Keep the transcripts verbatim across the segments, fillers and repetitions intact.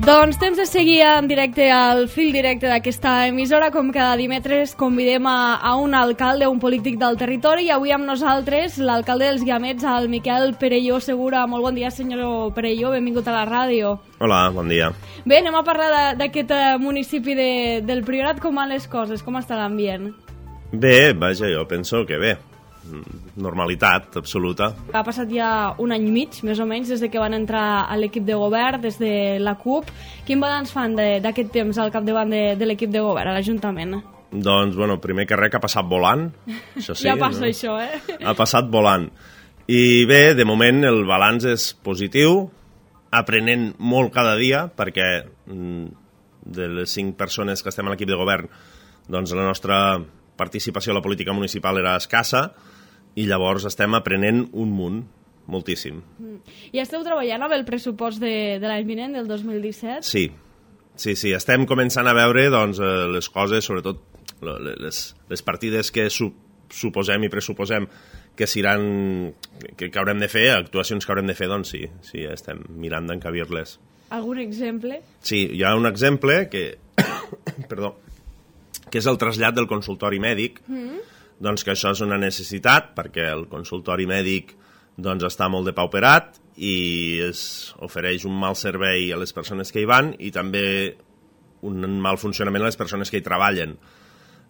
Doncs temps de seguir en directe al fil directe d'aquesta emissora. Com cada dimecres convidem a, a un alcalde, un polític del territori, i avui amb nosaltres l'alcalde dels Guiamets, el Miquel Perelló Segura. Molt bon dia, senyor Perelló, benvingut a la ràdio. Hola, bon dia. Bé, anem a parlar d'aquest municipi de, del Priorat. Com van les coses? Com està l'ambient? Bé, vaja, jo penso que bé. Normalitat absoluta. Ha passat ja un any i mig, més o menys, des de que van entrar a l'equip de govern, des de la CUP. Quin balanç fan d'aquest temps al capdavant de, de l'equip de govern, a l'Ajuntament? Doncs, bueno, primer que res, que ha passat volant. Això sí, ja passa, no? això, eh? Ha passat volant. I bé, de moment el balanç és positiu, aprenent molt cada dia, perquè de les cinc persones que estem a l'equip de govern, doncs la nostra participació a la política municipal era escassa, i llavors estem aprenent un munt, moltíssim. Mm. I esteu treballant amb el pressupost de, de l'any vinent, del dos mil disset? Sí, sí, sí, estem començant a veure doncs, les coses, sobretot les, les partides que su, suposem i pressuposem que seran, que, que haurem de fer, actuacions que haurem de fer, doncs sí, sí, estem mirant d'encabir-les. Algun exemple? Sí, hi ha un exemple que, perdó, que és el trasllat del consultori mèdic, mm. doncs que això és una necessitat perquè el consultori mèdic doncs, està molt depauperat i es ofereix un mal servei a les persones que hi van i també un mal funcionament a les persones que hi treballen.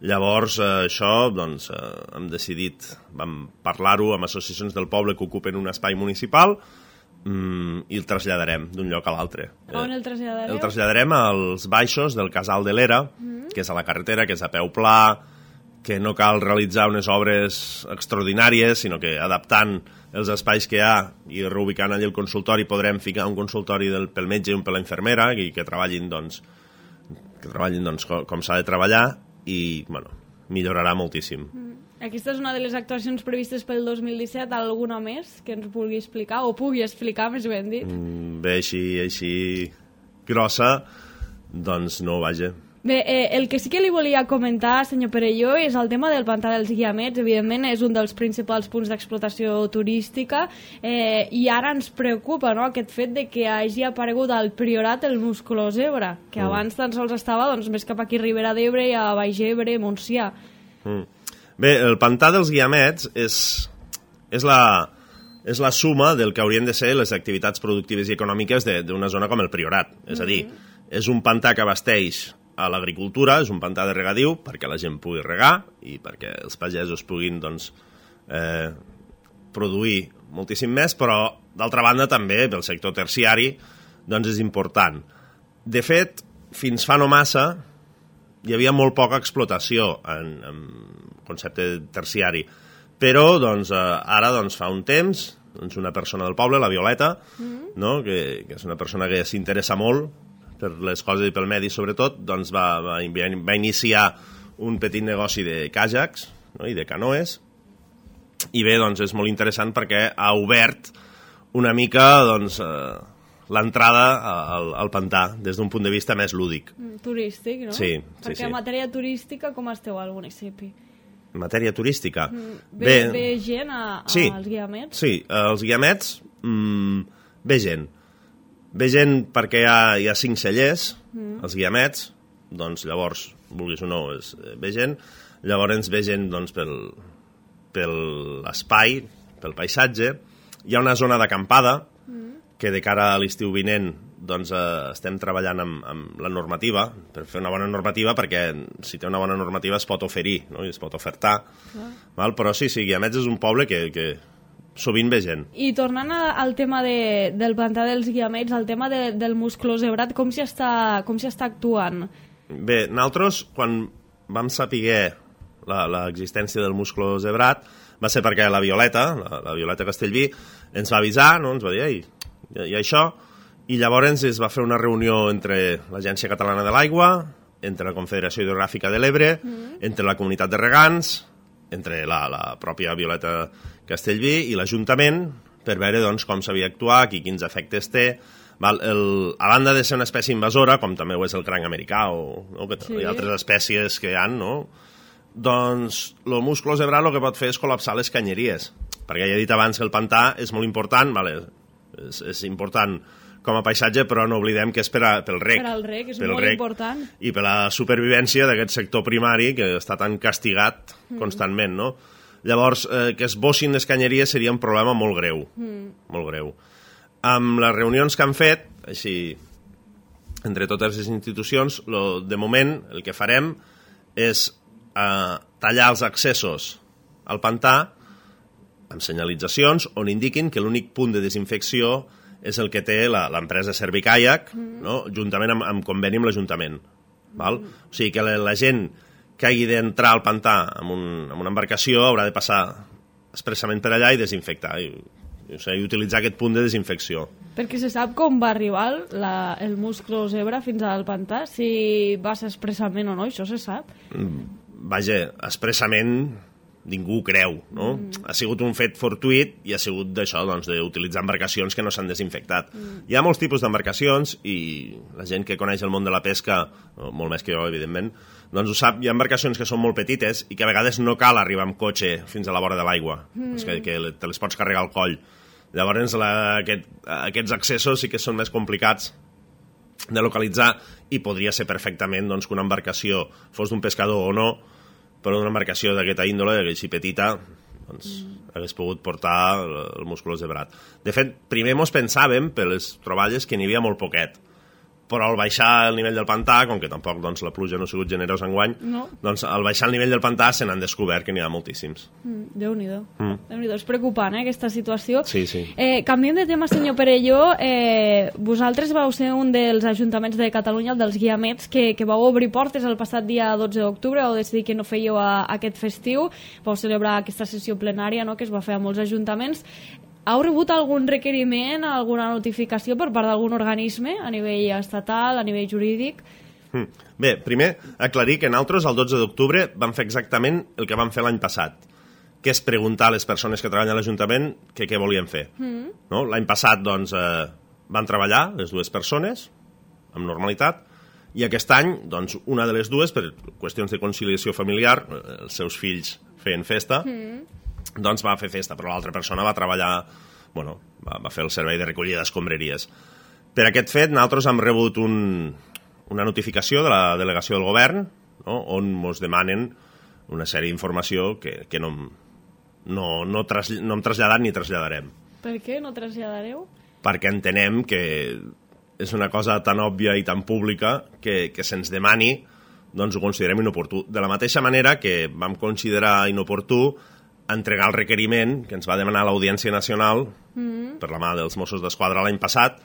Llavors, eh, això, doncs, eh, hem decidit, vam parlar-ho amb associacions del poble que ocupen un espai municipal mm, i el traslladarem d'un lloc a l'altre. On el traslladareu? El traslladarem als baixos del Casal de l'Era, mm. que és a la carretera, que és a peu pla, que no cal realitzar unes obres extraordinàries, sinó que adaptant els espais que hi ha i reubicant allà el consultori podrem ficar un consultori del, pel metge i un per la infermera i que treballin, doncs, que treballin doncs, com, com s'ha de treballar i bueno, millorarà moltíssim. Mm. Aquesta és una de les actuacions previstes pel dos mil disset. Alguna més que ens vulgui explicar o pugui explicar, més ben dit? Mm, bé, així, així grossa, doncs no, vaja. Bé, eh, el que sí que li volia comentar, senyor Perelló, és el tema del pantà dels Guiamets. Evidentment, és un dels principals punts d'explotació turística eh, i ara ens preocupa, no?, aquest fet de que hagi aparegut al Priorat el musculós Ebre, que mm. abans tan sols estava doncs, més cap aquí a Ribera d'Ebre i a Baix Ebre, Montsià. Mm. Bé, el pantà dels Guiamets és, és, la, és la suma del que haurien de ser les activitats productives i econòmiques d'una zona com el Priorat. És a dir, mm. és un pantà que abasteix a l'agricultura, és un pantà de regadiu perquè la gent pugui regar i perquè els pagesos puguin doncs, eh, produir moltíssim més, però d'altra banda també pel sector terciari doncs, és important. De fet, fins fa no massa hi havia molt poca explotació en, en concepte terciari, però doncs, eh, ara doncs, fa un temps doncs, una persona del poble, la Violeta, mm-hmm. no? que, que és una persona que s'interessa molt per les coses i pel medi sobretot, doncs va, va, va iniciar un petit negoci de càjacs, no? i de canoes, i bé, doncs és molt interessant perquè ha obert una mica doncs, eh, l'entrada al, al pantà des d'un punt de vista més lúdic. Mm, turístic, no? Sí, sí, perquè sí. en matèria turística com esteu al municipi? En matèria turística? Mm, ve, bé, ve gent a, a, sí, als Guiamets? Sí, als Guiamets mm, ve gent. Ve gent perquè hi ha, hi ha cinc cellers, mm. els Guiamets, doncs llavors, vulguis o no, és, ve gent, llavors ve gent doncs, pel, pel espai, pel paisatge, hi ha una zona d'acampada, mm. que de cara a l'estiu vinent doncs, eh, estem treballant amb, amb la normativa, per fer una bona normativa, perquè si té una bona normativa es pot oferir, no? I es pot ofertar, ah. val? Però sí, sí, Guiamets és un poble que... que sovint ve gent. I tornant al tema de, del pantà dels Guiamets, el tema de, del musculós Ebrat, com s'hi està, com s'hi està actuant? Bé, nosaltres, quan vam saber l'existència del musculós Ebrat, va ser perquè la Violeta, la, la Violeta Castellví, ens va avisar, no? Ens va dir, ei, hi ha això, i llavors es va fer una reunió entre l'Agència Catalana de l'Aigua, entre la Confederació Hidrogràfica de l'Ebre, mm. entre la comunitat de regants, entre la, la pròpia Violeta Castellví i l'Ajuntament per veure doncs, com s'havia d'actuar, i quins efectes té. Val? El, a banda de ser una espècie invasora, com també ho és el cranc americà o no? que sí. hi ha altres espècies que hi ha, no? Doncs el musculós ebrat el que pot fer és col·lapsar les canyeries, perquè ja he dit abans que el pantà és molt important, vale? és, és important com a paisatge, però no oblidem que és per a, pel rec. Per al rec, és pel molt rec, important. I per la supervivència d'aquest sector primari que està tan castigat mm. constantment, no? Llavors, eh, que es bossin les canyeries seria un problema molt greu, mm. molt greu. Amb les reunions que han fet, així, entre totes les institucions, lo, de moment el que farem és eh, tallar els accessos al pantà amb senyalitzacions on indiquin que l'únic punt de desinfecció és el que té l'empresa Servicaiac, mm. no? Juntament amb, amb conveni amb l'Ajuntament. Val? Mm. O sigui que la, la gent que hagi d'entrar al pantà amb, un, amb una embarcació haurà de passar expressament per allà i desinfectar, i, i, o sigui, i utilitzar aquest punt de desinfecció. Perquè se sap com va arribar la, el musclo zebra fins al pantà, si va ser expressament o no, això se sap? Mm. Vaja, expressament ningú creu, no? Mm. Ha sigut un fet fortuït i ha sigut d'això, doncs, d'utilitzar embarcacions que no s'han desinfectat. Mm. Hi ha molts tipus d'embarcacions i la gent que coneix el món de la pesca, molt més que jo, evidentment, doncs ho sap, hi ha embarcacions que són molt petites i que a vegades no cal arribar amb cotxe fins a la vora de l'aigua, mm. que, que te les pots carregar al coll. Llavors, la, aquest, aquests accessos sí que són més complicats de localitzar i podria ser perfectament doncs, que una embarcació fos d'un pescador o no, però una embarcació d'aquesta índole, així petita, doncs mm. hagués pogut portar el musculós zebrat. De fet, primer mos pensàvem, per les troballes, que n'hi havia molt poquet, però al baixar el nivell del pantà, com que tampoc doncs, la pluja no ha sigut generosa enguany, no. doncs al baixar el nivell del pantà se n'han descobert que n'hi ha moltíssims. Mm, Déu-n'hi-do. Mm. Déu-n'hi-do. És preocupant, eh, aquesta situació. Sí, sí. Eh, canviem de tema, senyor Perelló. Eh, vosaltres vau ser un dels ajuntaments de Catalunya, el dels Guiamets, que, que vau obrir portes el passat dia dotze d'octubre, vau decidir que no fèieu a, a aquest festiu, vau celebrar aquesta sessió plenària, no?, que es va fer a molts ajuntaments. Heu rebut algun requeriment, alguna notificació per part d'algun organisme a nivell estatal, a nivell jurídic? Mm. Bé, primer, aclarir que nosaltres el dotze d'octubre vam fer exactament el que vam fer l'any passat, que és preguntar a les persones que treballen a l'Ajuntament que què volien fer. Mm. No? L'any passat doncs, eh, van treballar les dues persones amb normalitat i aquest any doncs, una de les dues, per qüestions de conciliació familiar, els seus fills feien festa, mm. doncs va fer festa, però l'altra persona va treballar, bueno, va, va fer el servei de recollida d'escombraries. Per aquest fet, nosaltres hem rebut un, una notificació de la delegació del govern, no?, on ens demanen una sèrie d'informació que, que no, no, no, tras, no hem traslladat ni traslladarem. Per què no traslladareu? Perquè entenem que és una cosa tan òbvia i tan pública que, que se'ns demani, doncs ho considerem inoportú. De la mateixa manera que vam considerar inoportú entregar el requeriment que ens va demanar l'Audiència Nacional mm. per la mà dels Mossos d'Esquadra l'any passat,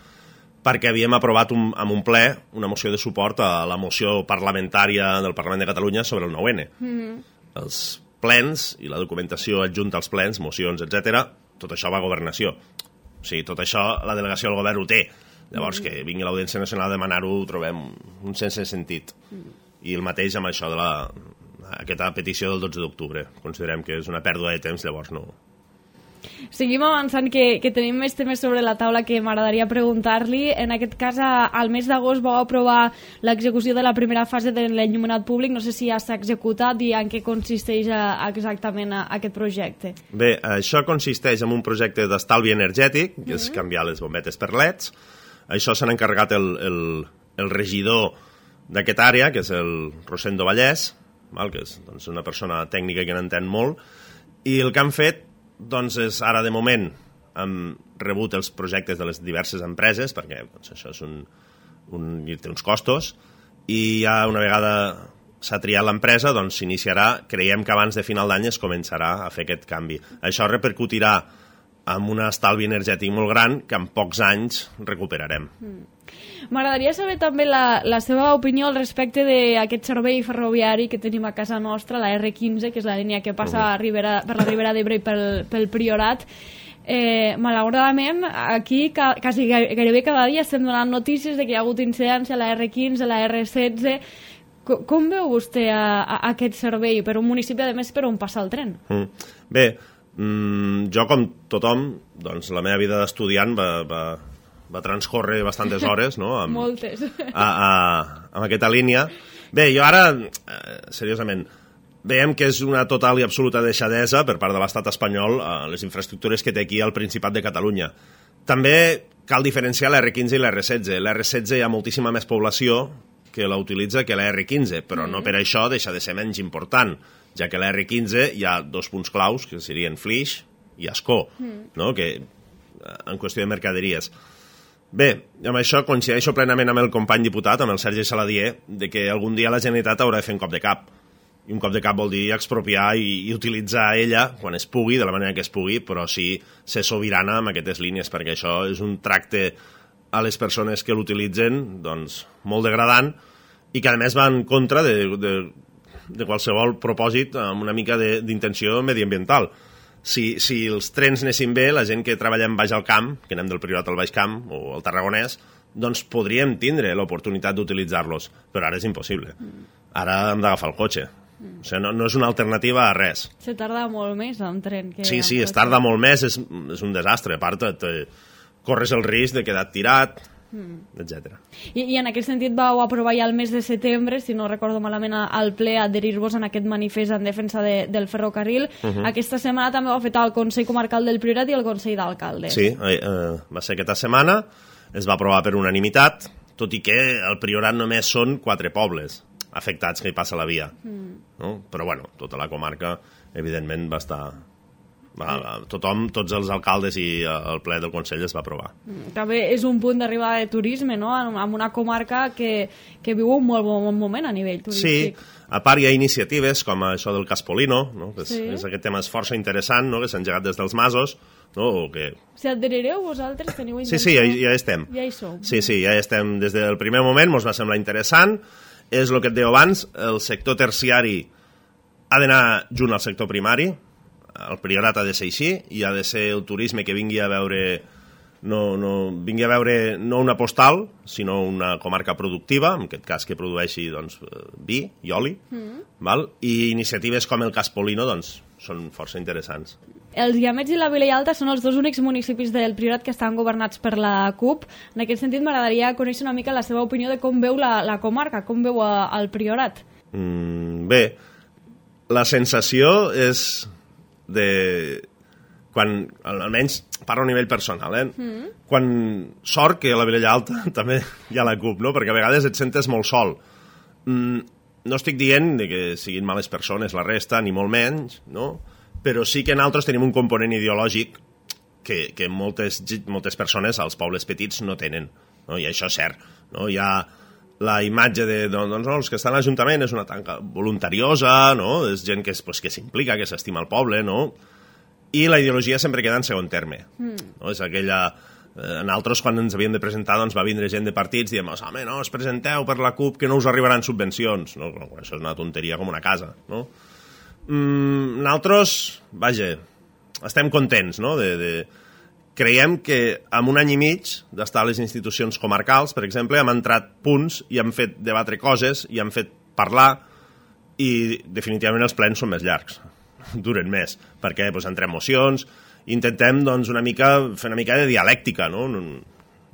perquè havíem aprovat un, amb un ple una moció de suport a la moció parlamentària del Parlament de Catalunya sobre el nou ene. Mm. Els plens i la documentació adjunta als plens, mocions, etcètera, tot això va a Governació. O sigui, tot això la delegació del govern ho té. Llavors, mm. que vingui l'Audiència Nacional a demanar-ho ho trobem un sense sentit. Mm. I el mateix amb això de la... aquesta petició del dotze d'octubre. Considerem que és una pèrdua de temps, llavors no... Seguim avançant, que, que tenim més temes sobre la taula que m'agradaria preguntar-li. En aquest cas, al mes d'agost vau aprovar l'execució de la primera fase de l'enllumenat públic. No sé si ja s'ha executat i en què consisteix exactament aquest projecte. Bé, això consisteix en un projecte d'estalvi energètic, que és canviar les bombetes per leds. Això s'ha encarregat el, el, el regidor d'aquesta àrea, que és el Rosendo Vallès, val? Que és doncs, una persona tècnica que n'entén molt, i el que han fet doncs, és ara de moment hem rebut els projectes de les diverses empreses, perquè doncs, això és un, un, té uns costos, i ja una vegada s'ha triat l'empresa, doncs s'iniciarà, creiem que abans de final d'any es començarà a fer aquest canvi. Això repercutirà amb un estalvi energètic molt gran que en pocs anys recuperarem. Mm. M'agradaria saber també la, la seva opinió al respecte d'aquest servei ferroviari que tenim a casa nostra, la erre quinze, que és la línia que passa uh -huh. a Ribera, per la Ribera d'Ebre i pel, pel Priorat. Eh, malauradament, aquí ca, quasi gairebé cada dia estem donant notícies de que hi ha hagut incidència a la erre quinze, a la erre setze. Com, com veu vostè a, a aquest servei per un municipi, a més, per on passa el tren? Mm. Bé, mm, jo com tothom, doncs la meva vida d'estudiant va... va... va transcorrer bastantes hores, no? Amb, Moltes. A, a, amb aquesta línia. Bé, jo ara, eh, seriosament, veiem que és una total i absoluta deixadesa per part de l'estat espanyol a les infraestructures que té aquí al Principat de Catalunya. També cal diferenciar l'R quinze i l'R setze. L'R setze hi ha moltíssima més població que la utilitza que l'R quinze, però no per això deixa de ser menys important, ja que l'R quinze hi ha dos punts claus, que serien Flix i Ascó, no? Que, en qüestió de mercaderies. Bé, amb això coincideixo plenament amb el company diputat, amb el Sergi Saladier, de que algun dia la Generalitat haurà de fer un cop de cap. I un cop de cap vol dir expropiar i, i utilitzar ella quan es pugui, de la manera que es pugui, però sí ser sobirana amb aquestes línies, perquè això és un tracte a les persones que l'utilitzen doncs, molt degradant i que a més va en contra de, de, de qualsevol propòsit amb una mica d'intenció mediambiental. Si, si els trens anessin bé, la gent que treballem baix al camp, que anem del Priorat al Baix Camp o al Tarragonès, doncs podríem tindre l'oportunitat d'utilitzar-los, però ara és impossible. Ara hem d'agafar el cotxe. O sigui, no, no és una alternativa a res. Se tarda molt més en tren. Que sí, sí, es tarda molt més, és, és un desastre. A part, te, corres el risc de quedar tirat, mm. etcètera. I, I en aquest sentit vau aprovar ja el mes de setembre, si no recordo malament, al ple adherir-vos en aquest manifest en defensa de, del ferrocarril. Uh -huh. Aquesta setmana també ho ha fet el Consell Comarcal del Priorat i el Consell d'Alcaldes. Sí, eh, va ser aquesta setmana, es va aprovar per unanimitat, tot i que el Priorat només són quatre pobles afectats que hi passa la via. Mm. No? Però, bueno, tota la comarca, evidentment, va estar... Va, va, tothom, tots els alcaldes i el ple del Consell es va aprovar. Mm. També és un punt d'arribada de turisme, no?, en una comarca que, que viu un molt bon moment a nivell turístic. Sí, a part hi ha iniciatives com això del Caspolino, no? Que és, sí. és aquest tema és força interessant, no?, que s'ha engegat des dels masos, no? O que... Si adherireu vosaltres, teniu intenció... Sí, sí, ja, ja estem. Ja hi som. Sí, sí, ja estem. Des del primer moment ens va semblar interessant. És el que et deia abans, el sector terciari ha d'anar junt al sector primari, el Priorat ha de ser així, i ha de ser el turisme que vingui a veure no, no, vingui a veure no una postal, sinó una comarca productiva, en aquest cas que produeixi doncs, vi i oli, mm. val? I iniciatives com el Caspolino doncs, són força interessants. Els Guiamets i la Vilella són els dos únics municipis del Priorat que estan governats per la C U P. En aquest sentit, m'agradaria conèixer una mica la seva opinió de com veu la, la comarca, com veu a, el Priorat. Mm, bé, la sensació és de... quan, almenys parlo a nivell personal, eh? Mm. Quan sort que a la Vilella Alta també hi ha la C U P, no? Perquè a vegades et sentes molt sol. Mm, no estic dient de que siguin males persones la resta, ni molt menys, no? Però sí que nosaltres tenim un component ideològic que, que moltes, moltes persones als pobles petits no tenen, no? I això és cert, no? Hi ha la imatge de, doncs, no, els que estan a l'Ajuntament és una tanca voluntariosa, no? És gent que, pues, que s'implica, que s'estima el poble, no? I la ideologia sempre queda en segon terme, mm. no? És aquella... En altres, quan ens havíem de presentar, doncs va vindre gent de partits i diem, home, no, us presenteu per la C U P que no us arribaran subvencions, no? Això és una tonteria com una casa, no? Mm, nosaltres, vaja, estem contents, no? De, de... Creiem que en un any i mig d'estar a les institucions comarcals, per exemple, hem entrat punts i hem fet debatre coses i hem fet parlar i definitivament els plens són més llargs, duren més, perquè doncs, entrem mocions, intentem doncs, una mica fer una mica de dialèctica, no?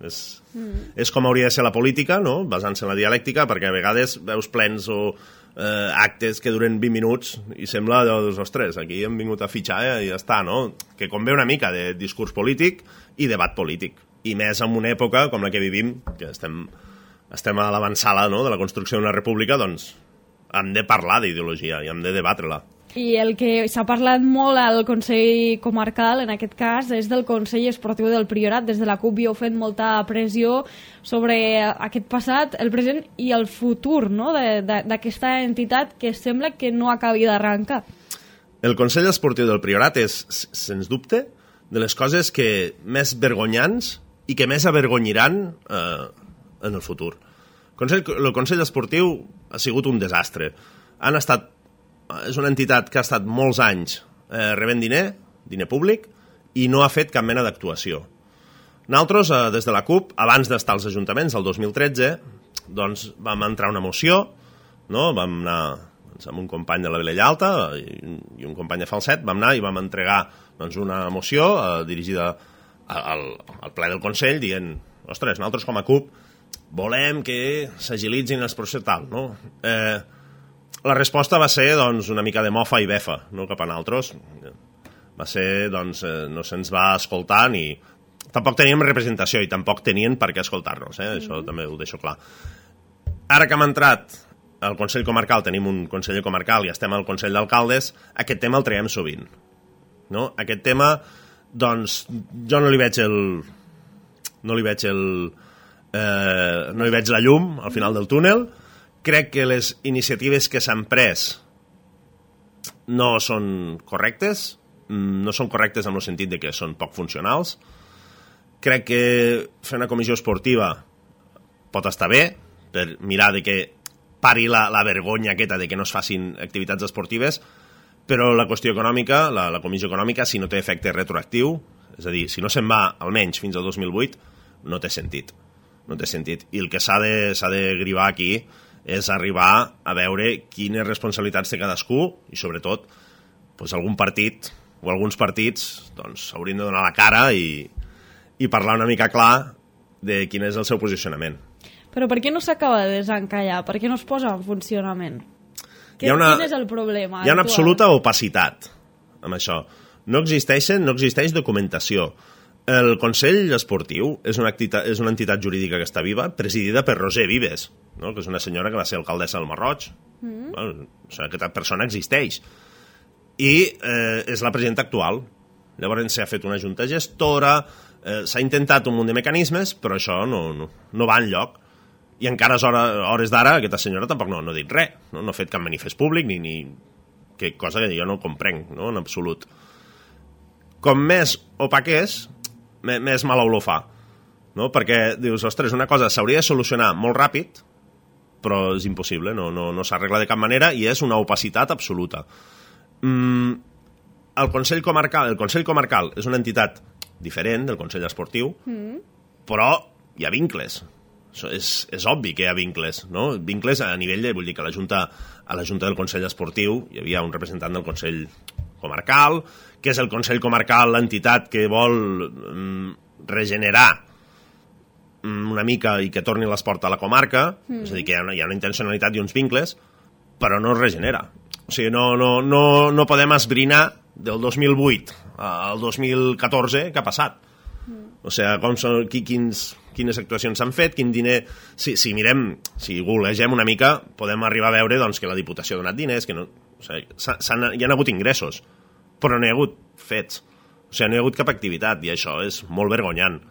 És, mm. és com hauria de ser la política, no? Basant-se en la dialèctica, perquè a vegades veus plens o eh, actes que duren vint minuts i sembla, doncs, ostres, aquí hem vingut a fitxar eh, i ja està, no? Que convé una mica de discurs polític i debat polític. I més en una època com la que vivim, que estem, estem a l'avançada, no?, de la construcció d'una república, doncs hem de parlar d'ideologia i hem de debatre-la. I el que s'ha parlat molt al Consell Comarcal, en aquest cas, és del Consell Esportiu del Priorat. Des de la C U P hi heu fet molta pressió sobre aquest passat, el present i el futur, no?, d'aquesta entitat que sembla que no acabi d'arrencar. El Consell Esportiu del Priorat és, sens dubte, de les coses que més vergonyants i que més avergonyiran eh, en el futur. El Consell, el Consell Esportiu ha sigut un desastre. Han estat és una entitat que ha estat molts anys eh, rebent diner, diner públic, i no ha fet cap mena d'actuació. Nosaltres, eh, des de la C U P, abans d'estar als ajuntaments, el dos mil tretze, doncs vam entrar una moció, no? Vam anar doncs, amb un company de la Vilella Alta i, i un company de Falset, vam anar i vam entregar doncs, una moció eh, dirigida al, al ple del Consell, dient, ostres, nosaltres com a C U P volem que s'agilitzin els processos tal, no? Eh, La resposta va ser doncs, una mica de mofa i befa, no cap a nosaltres. Va ser, doncs, eh, no se'ns va escoltar ni tampoc teníem representació i tampoc tenien per què escoltar-nos, eh? Això també ho deixo clar. Ara que hem entrat al Consell Comarcal, tenim un conseller comarcal i estem al Consell d'Alcaldes, aquest tema el traiem sovint. No? Aquest tema, doncs, jo no li veig el... no li veig el... Eh, no li veig la llum al final del túnel. Crec que les iniciatives que s'han pres no són correctes, no són correctes en el sentit de que són poc funcionals. Crec que fer una comissió esportiva pot estar bé, per mirar de que pari la, la vergonya aquesta de que no es facin activitats esportives, però la qüestió econòmica, la, la comissió econòmica, si no té efecte retroactiu, és a dir, si no se'n va almenys fins al dos mil vuit, no té sentit. No té sentit. I el que s'ha de, s'ha de grivar aquí és arribar a veure quines responsabilitats té cadascú i, sobretot, doncs, algun partit o alguns partits doncs, haurien de donar la cara i, i parlar una mica clar de quin és el seu posicionament. Però per què no s'acaba de desencallar? Per què no es posa en funcionament? Que, una, quin és el problema? Hi ha una actual? absoluta opacitat amb això. No existeixen, no existeix documentació. El Consell Esportiu és una, entitat, és una entitat jurídica que està viva, presidida per Roser Vives, no? Que és una senyora que va ser alcaldessa del Masroig. Mm. Bueno, o sigui, aquesta persona existeix. I eh, és la presidenta actual. Llavors s'ha fet una junta gestora, eh, s'ha intentat un munt de mecanismes, però això no, no, no va enlloc. I encara a hores, hores d'ara aquesta senyora tampoc no, no ha dit res, no? No ha fet cap manifest públic, ni, ni que cosa que jo no comprenc, no? En absolut. Com més opac és, més mal olor fa, no? Perquè dius, ostres, una cosa s'hauria de solucionar molt ràpid, però és impossible, no, no, no s'arregla de cap manera i és una opacitat absoluta. Mm, el Consell Comarcal, el Consell Comarcal és una entitat diferent del Consell Esportiu, mm. però hi ha vincles. És, és obvi que hi ha vincles, no? Vincles a nivell de, vull dir que a la Junta, a la Junta del Consell Esportiu hi havia un representant del Consell Comarcal, que és el Consell Comarcal, l'entitat que vol mm, regenerar mm, una mica i que torni l'esport a la comarca, mm. és a dir, que hi ha, una, hi ha una intencionalitat i uns vincles, però no es regenera. O sigui, no, no, no, no podem esbrinar del dos mil vuit al dos mil catorze què ha passat. Mm. O sigui, com són, qui, quins, quines actuacions s'han fet, quin diner... Si, si mirem, si googlegem una mica, podem arribar a veure doncs, que la Diputació ha donat diners, que no... O sigui, hi ha hagut ingressos, però no hi ha hagut fets. O sigui, no hi ha hagut cap activitat, i això és molt vergonyant.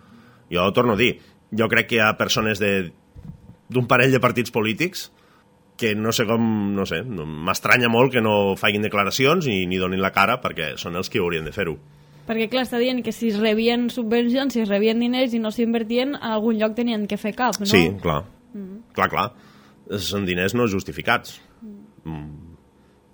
Jo torno a dir, jo crec que hi ha persones de, d'un parell de partits polítics que no sé com, no sé, m'estranya molt que no facin declaracions ni, ni donin la cara, perquè són els que haurien de fer-ho. Perquè, clar, està dient que si es rebien subvencions, si es rebien diners i no s'invertien, en algun lloc tenien que fer cap, no? Sí, clar. Mm. Clar, clar. Són diners no justificats. Mm.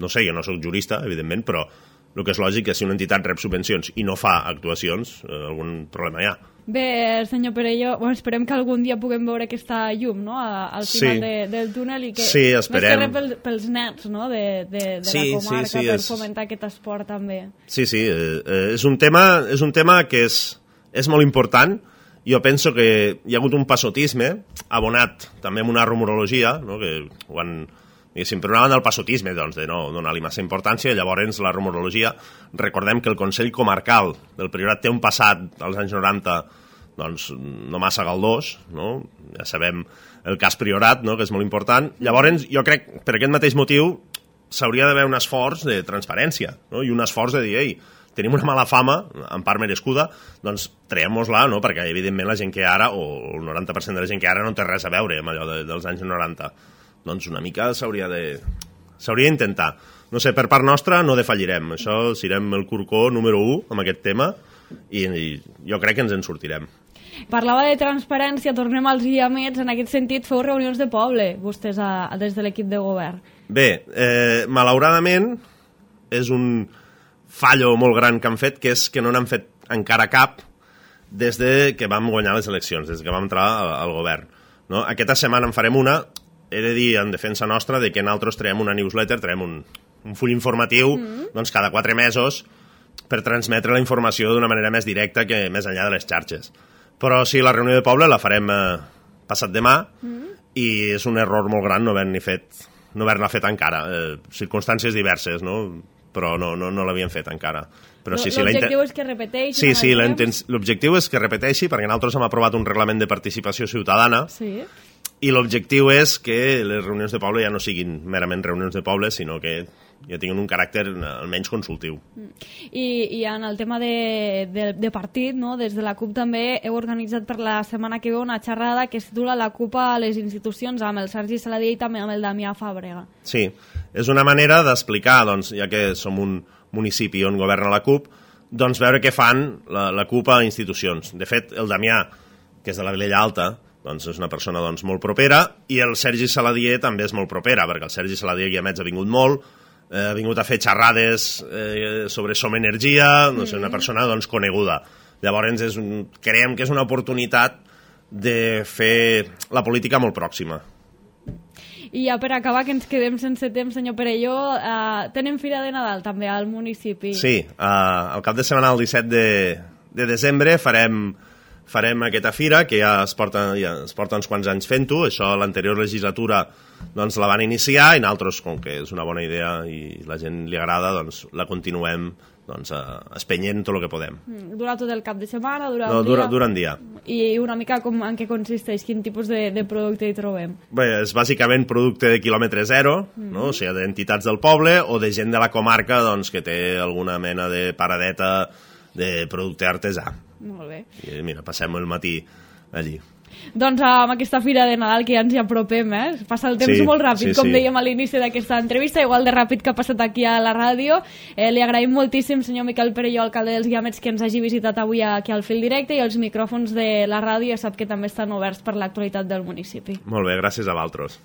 No sé, jo no sóc jurista, evidentment, però el que és lògic és si una entitat rep subvencions i no fa actuacions, eh, algun problema hi ha. Bé, senyor Perelló, bueno, esperem que algun dia puguem veure aquesta llum, no?, a, al final sí. de, del túnel i que, sí, esperem. Més que res pel, pels nets, no?, de, de, de sí, la comarca, sí, sí, per és... fomentar aquest esport també. Sí, sí, eh, és, un tema, és un tema que és, és molt important. Jo penso que hi ha hagut un passotisme abonat també amb una rumorologia, no?, que ho han... diguéssim, per una banda el passotisme, doncs, de no donar-li massa importància, i llavors la rumorologia. Recordem que el Consell Comarcal del Priorat té un passat als anys noranta, doncs, no massa galdós, no? Ja sabem el cas Priorat, no?, que és molt important. Llavors, jo crec, per aquest mateix motiu, s'hauria d'haver un esforç de transparència, no?, i un esforç de dir, ei, tenim una mala fama, en part merescuda, doncs traiem-nos-la, no?, perquè evidentment la gent que ara, o el noranta per cent de la gent que ara no té res a veure amb allò de, dels anys noranta. Doncs una mica s'hauria de... s'hauria d'intentar. No sé, per part nostra no defallirem. Això serem el corcó número u amb aquest tema i, i jo crec que ens en sortirem. Parlava de transparència, tornem als guiamets. En aquest sentit, feu reunions de poble, vostès, a, a, des de l'equip de govern. Bé, eh, malauradament, és un fallo molt gran que han fet, que és que no n'han fet encara cap des de que vam guanyar les eleccions, des que vam entrar al, al govern. No? Aquesta setmana en farem una... He de dir, en defensa nostra, de que nosaltres traiem una newsletter, traiem un, un full informatiu, mm. doncs cada quatre mesos, per transmetre la informació d'una manera més directa que més enllà de les xarxes. Però sí, la reunió de poble la farem eh, passat demà, mm. i és un error molt gran no haver-ne fet, no haver-la fet encara. Eh, circumstàncies diverses, no? Però no, no, no l'havien fet encara. Però sí, sí, l'objectiu és que repeteixi. Sí, sí, l'objectiu és que repeteixi, perquè nosaltres hem aprovat un reglament de participació ciutadana, sí. I l'objectiu és que les reunions de poble ja no siguin merament reunions de poble, sinó que ja tinguin un caràcter almenys consultiu. I, i en el tema de, de, de partit, no? Des de la CUP també heu organitzat per la setmana que ve una xerrada que es titula La CUP a les institucions, amb el Sergi Saladié i també amb el Damià Fàbrega. Sí, és una manera d'explicar, doncs, ja que som un municipi on governa la CUP, doncs veure què fan la, la CUP a institucions. De fet, el Damià, que és de la Vilella Alta, doncs és una persona doncs, molt propera, i el Sergi Saladié també és molt propera, perquè el Sergi Saladié Guiamets ha vingut molt, eh, ha vingut a fer xerrades eh, sobre Som Energia, doncs, mm-hmm. una persona doncs, coneguda. Llavors és un, creiem que és una oportunitat de fer la política molt pròxima. I ja per acabar, que ens quedem sense temps, senyor Perelló, eh, tenen Fira de Nadal també al municipi. Sí, eh, al cap de setmana, el disset de, de desembre, farem... farem aquesta fira, que ja es porta, ja es porta uns quants anys fent-ho, això l'anterior legislatura doncs, la van iniciar, i nosaltres, com que és una bona idea i la gent li agrada, doncs la continuem doncs, espenyent tot el que podem. Dura tot el cap de setmana? Dura no, un dura, dia? Dura un dia. I una mica com, en què consisteix? Quin tipus de, de producte hi trobem? Bé, és bàsicament producte de quilòmetre zero, mm. no? O sigui, d'entitats del poble o de gent de la comarca doncs, que té alguna mena de paradeta de producte artesà. Molt bé. I mira, passem el matí allí. Doncs amb aquesta Fira de Nadal que ja ens hi apropem, eh? Passa el temps sí, molt ràpid, sí, com sí. dèiem a l'inici d'aquesta entrevista, igual de ràpid que ha passat aquí a la ràdio. Eh, li agraïm moltíssim, senyor Miquel Perelló, alcalde dels Guiamets, que ens hagi visitat avui aquí al Fil Directe, i els micròfons de la ràdio ja sap que també estan oberts per l'actualitat del municipi. Molt bé, gràcies a vosaltres.